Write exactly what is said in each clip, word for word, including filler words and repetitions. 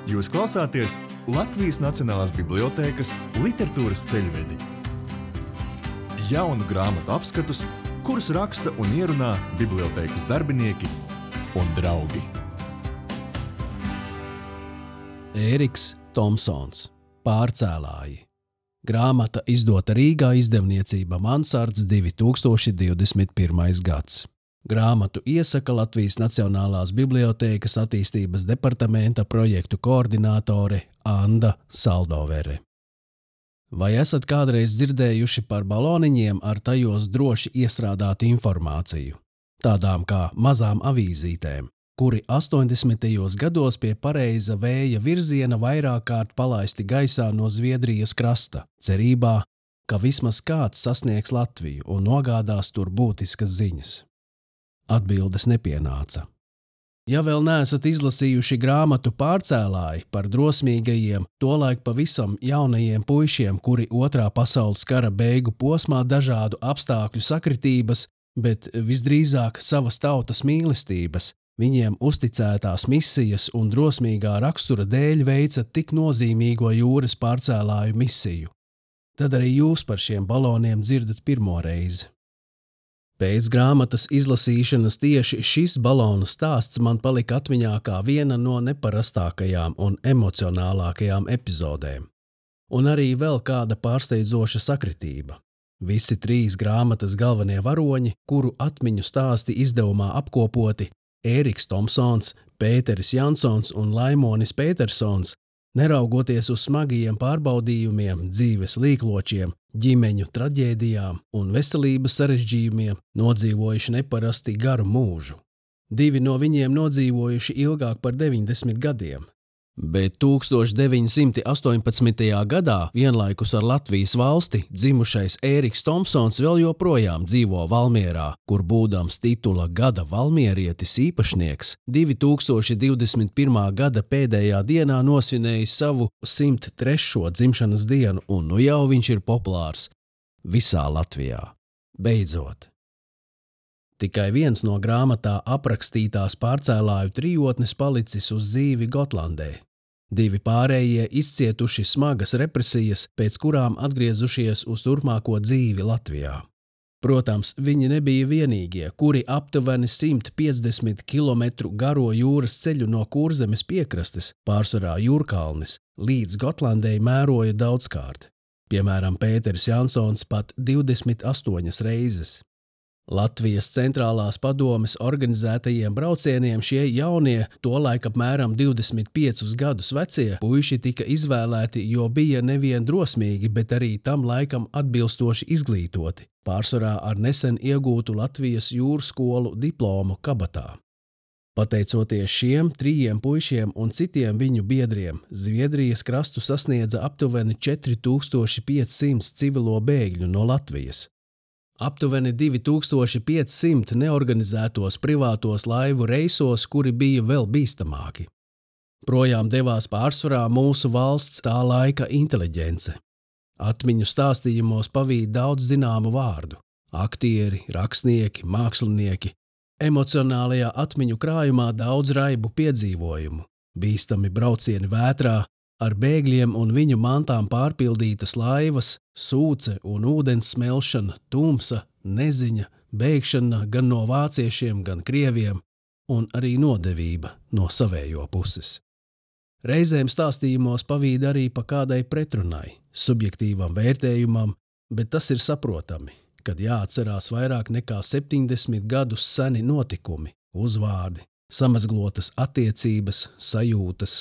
Jūs klausāties Latvijas Nacionālās bibliotēkas literatūras ceļvedi. Jaunu grāmatu apskatus, kurus raksta un ierunā bibliotēkas darbinieki un draugi. Ēriks Tomsons, Pārcēlāji. Grāmata izdota Rīgā izdevniecība Mansards divi tūkstoši divdesmit pirmais gads. Grāmatu iesaka Latvijas Nacionālās bibliotēkas attīstības departamenta projektu koordinātore Anda Saldovere. Vai esat kādreiz dzirdējuši par baloniņiem ar tajos droši iestrādātu informāciju, tādām kā mazām avīzītēm, kuri astoņdesmitajos gados pie pareiza vēja virziena vairāk kārt palaisti gaisā no Zviedrijas krasta, cerībā, ka vismaz kāds sasniegs Latviju un nogādās tur būtiskas ziņas? Atbildes nepienāca. Ja vēl neesat izlasījuši grāmatu Pārcēlāji par drosmīgajiem, tolaik pavisam jaunajiem puišiem, kuri otrā pasaules kara beigu posmā dažādu apstākļu sakritības, bet visdrīzāk savas tautas mīlestības, viņiem uzticētās misijas un drosmīgā rakstura dēļ veica tik nozīmīgo jūras pārcēlāju misiju, tad arī jūs par šiem baloniem dzirdat pirmo reizi. Pēc grāmatas izlasīšanas tieši šis balonu stāsts man palika atmiņā kā viena no neparastākajām un emocionālākajām epizodēm. Un arī vēl kāda pārsteidzoša sakritība. Visi trīs grāmatas galvenie varoņi, kuru atmiņu stāsti izdevumā apkopoti, Ēriks Tomsons, Pēteris Jansons un Laimonis Pētersons, neraugoties uz smagajiem pārbaudījumiem, dzīves līkločiem, ģimeņu traģēdijām un veselības sarežģījumiem, nodzīvojuši neparasti garu mūžu. Divi no viņiem nodzīvojuši ilgāk par deviņdesmit gadiem. Bet tūkstoš deviņi simti astoņpadsmitajā gadā vienlaikus ar Latvijas valsti dzimušais Ēriks Tomsons vēl joprojām dzīvo Valmierā, kur būdams titula gada valmierietis īpašnieks divi tūkstoši divdesmit pirmā gada pēdējā dienā nosvinējis savu simt trešo dzimšanas dienu, un nu jau viņš ir populārs visā Latvijā. Beidzot. Tikai viens no grāmatā aprakstītās pārcēlāju trijotnes palicis uz dzīvi Gotlandē. Divi pārējie izcietuši smagas represijas, pēc kurām atgriezušies uz turpmāko dzīvi Latvijā. Protams, viņi nebija vienīgie, kuri aptuveni simt piecdesmit kilometru garo jūras ceļu no Kurzemes piekrastes, pārsvarā Jūrkalnis, līdz Gotlandei mēroja daudzkārt. Piemēram, Pēteris Jansons pat divdesmit astoņas reizes. Latvijas centrālās padomes organizētajiem braucieniem šie jaunie, tolaik apmēram divdesmit piecus gadus vecie, puiši tika izvēlēti, jo bija nevien drosmīgi, bet arī tam laikam atbilstoši izglītoti, pārsvarā ar nesen iegūtu Latvijas jūras skolu diplomu kabatā. Pateicoties šiem trījiem puišiem un citiem viņu biedriem, Zviedrijas krastu sasniedza aptuveni četri tūkstoši piecsimt civilo bēgļu no Latvijas. Aptuveni divi tūkstoši piecsimt neorganizētos privātos laivu reisos, kuri bija vēl bīstamāki. Projām devās pārsvarā mūsu valsts tā laika inteliģence. Atmiņu stāstījumos pavīd daudz zināmu vārdu – aktieri, rakstnieki, mākslinieki. Emocionālajā atmiņu krājumā daudz raibu piedzīvojumu, bīstami braucieni vētrā, ar bēgļiem un viņu mantām pārpildītas laivas, sūce un ūdens smelšana, tumsa, neziņa, bēgšana gan no vāciešiem, gan krieviem, un arī nodevība no savējo puses. Reizēm stāstījumos pavīd arī pa kādai pretrunai, subjektīvam vērtējumam, bet tas ir saprotami, kad jāatcerās vairāk nekā septiņdesmit gadus seni notikumi, uzvārdi, samazglotas attiecības, sajūtas.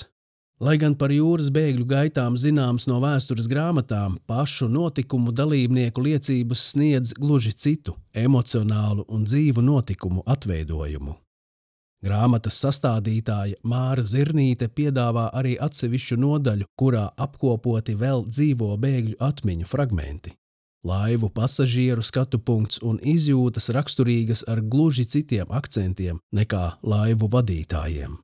Lai gan par jūras bēgļu gaitām zināms no vēstures grāmatām, pašu notikumu dalībnieku liecības sniedz gluži citu, emocionālu un dzīvu notikumu atveidojumu. Grāmatas sastādītāja Māra Zirnīte piedāvā arī atsevišķu nodaļu, kurā apkopoti vēl dzīvo bēgļu atmiņu fragmenti. Laivu pasažieru skatupunkts un izjūtas raksturīgas ar gluži citiem akcentiem nekā laivu vadītājiem.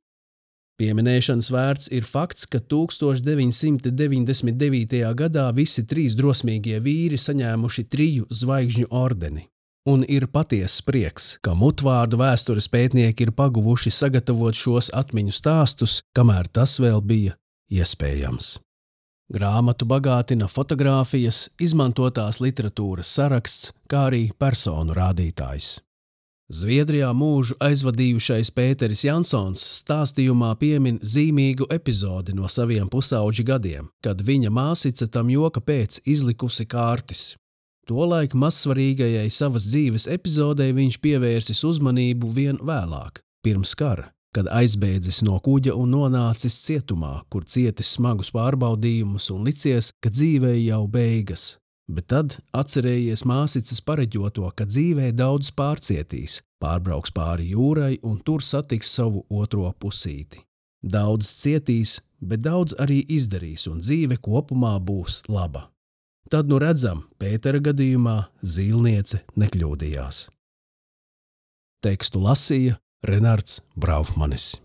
Pieminēšanas vērts ir fakts, ka tūkstoš deviņi simti deviņdesmit devītajā gadā visi trīs drosmīgie vīri saņēmuši triju zvaigžņu ordeni. Un ir patiess prieks, ka mutvārdu vēstures pētnieki ir paguvuši sagatavot šos atmiņu stāstus, kamēr tas vēl bija iespējams. Grāmatu bagātina fotogrāfijas, izmantotās literatūras saraksts, kā arī personu rādītājs. Zviedrijā mūžu aizvadījušais Pēteris Jansons stāstījumā piemin zīmīgu epizodi no saviem pusauģa gadiem, kad viņa māsice tam joka pēc izlikusi kārtis. Tolaik mazsvarīgajai savas dzīves epizodei viņš pievērsis uzmanību vien vēlāk, pirms kara, kad aizbēdzis no kuģa un nonācis cietumā, kur cietis smagus pārbaudījumus un licies, ka dzīvei jau beigas. Bet tad atcerējies māsices pareģoto, ka dzīvē daudz pārcietīs, pārbrauks pāri jūrai un tur satiks savu otro pusīti. Daudz cietīs, bet daudz arī izdarīs un dzīve kopumā būs laba. Tad nu redzam, Pētera gadījumā zīlniece nekļūdījās. Tekstu lasīja Renards Braufmanis.